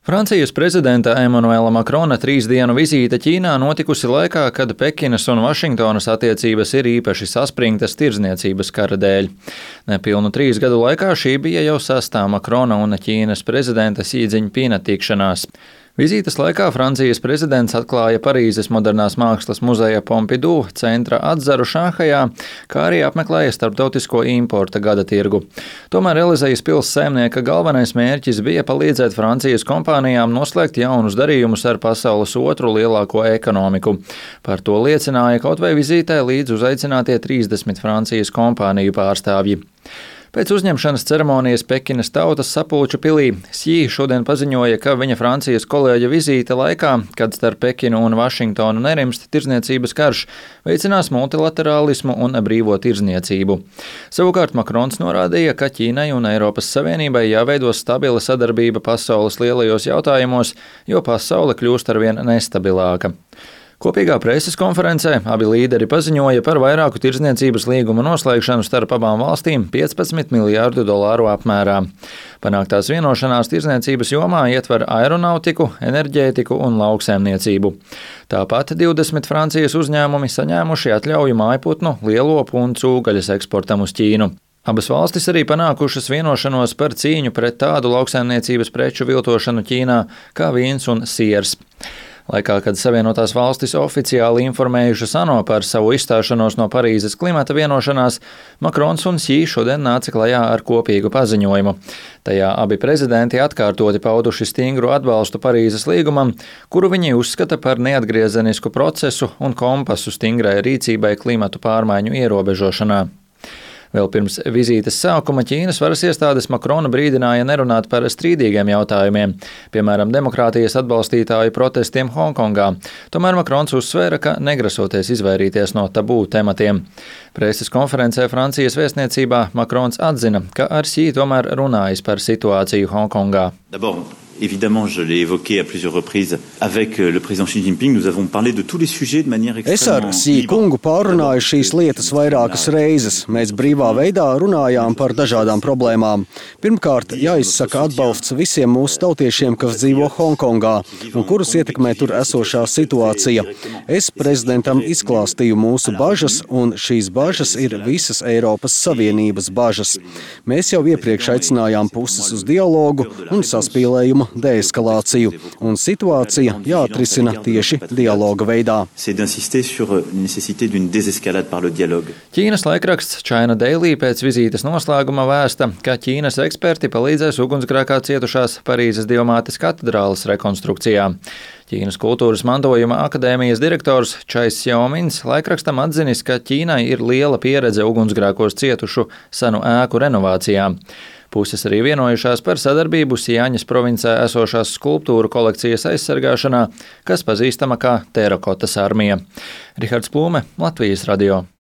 Francijas prezidenta Emanuela Makrona 3 dienu vizīte Ķīnā notikusi laikā, kad Pekinas un Vašingtonas attiecības ir īpaši saspringtas tirdzniecības kara dēļ. Nepilnu 3 gadu laikā šī bija jau 6. Makrona un Ķīnas prezidenta Xi Džiņpina tikšanās. Vizītes laikā Francijas prezidents atklāja Parīzes modernās mākslas muzeja Pompidou centra atzaru Šanhajā, kā arī apmeklēja starptautisko importa gada tirgu. Tomēr Elizejas pils saimnieka galvenais mērķis bija palīdzēt Francijas kompānijām noslēgt jaunus darījumus ar pasaules otru lielāko ekonomiku. Par to liecināja kaut vai vizītē līdz uzaicinātie 30 Francijas kompāniju pārstāvji. Pēc uzņemšanas ceremonijas Pekinas Tautas sapulču pilī Xi šodien paziņoja, ka viņa Francijas kolēģa vizīte laikā, kad starp Pekinu un Vašingtonu nerimst tirdzniecības karš, veicinās multilaterālismu un brīvo tirdzniecību. Savukārt Makrons norādīja, ka Ķīnai un Eiropas Savienībai jāveido stabila sadarbība pasaules lielajos jautājumos, jo pasaule kļūst arvien nestabilāka. Kopīgā preses konferencē abi līderi paziņoja par vairāku tirdzniecības līgumu noslēgšanu starp abām valstīm $15 miljārdu apmērā. Panāktās vienošanās tirdzniecības jomā ietver aeronautiku, enerģētiku un lauksaimniecību. Tāpat 20 Francijas uzņēmumi saņēmuši atļauju mājputnu, lielopu un cūgaļas eksportam uz Ķīnu. Abas valstis arī panākušas vienošanos par cīņu pret tādu lauksaimniecības preču viltošanu Ķīnā kā vīns un siers. Laikā, kad Savienotās valstis oficiāli informējušas ANO par savu izstāšanos no Parīzes klimata vienošanās, Makrons un Xi šodien nāca klajā ar kopīgu paziņojumu. Tajā abi prezidenti atkārtoti pauduši stingru atbalstu Parīzes līgumam, kuru viņi uzskata par neatgriezenisku procesu un kompasu stingrai rīcībai klimatu pārmaiņu ierobežošanā. Vēl pirms vizītes sākuma Ķīnas varas iestādes Makrona brīdināja nerunāt par strīdīgiem jautājumiem, piemēram, demokrātijas atbalstītāju protestiem Hongkongā. Tomēr Makrons uzsvēra, ka negrasoties izvairīties no tabū tematiem. Preses konferencē Francijas vēstniecībā Makrons atzina, ka ar Xi tomēr runājis par situāciju Hongkongā. Évidemment, je l'ai évoqué à plusieurs reprises avec le président Xi Jinping. Nous avons parlé de tous les sujets de manière extrêmement libre. Es ar Xi kungu pārunāju šīs lietas vairākas reizes. Mēs brīvā veidā runājām par dažādām problēmām. Pirmkārt, jāizsaka atbalsts visiem mūsu tautiešiem, kas dzīvo Hongkongā un kurus ietekmē tur esošā situācija. Es prezidentam izklāstīju mūsu bažas, un šīs bažas ir visas Eiropas Savienības bažas. Mēs jau iepriekš aicinājām puses uz dialogu un saspīlējumu deeskalāciju, un situācija jāatrisina tieši dialoga veidā. Ķīnas laikraksts China Daily pēc vizītes noslēguma vēsta, ka Ķīnas eksperti palīdzēs ugunsgrēkā cietušās Parīzes Dievmātes katedrāles rekonstrukcijā. Ķīnas kultūras mantojuma akadēmijas direktors Čais Xiaomins laikrakstam atzinis, ka Ķīnai ir liela pieredze ugunsgrēkos cietušu senu ēku renovācijā. Puses arī vienojušās par sadarbību Sjaņas provincē esošās skulptūru kolekcijas aizsargāšanā, kas pazīstama kā Terakotas armija. Rihards Plūme, Latvijas radio.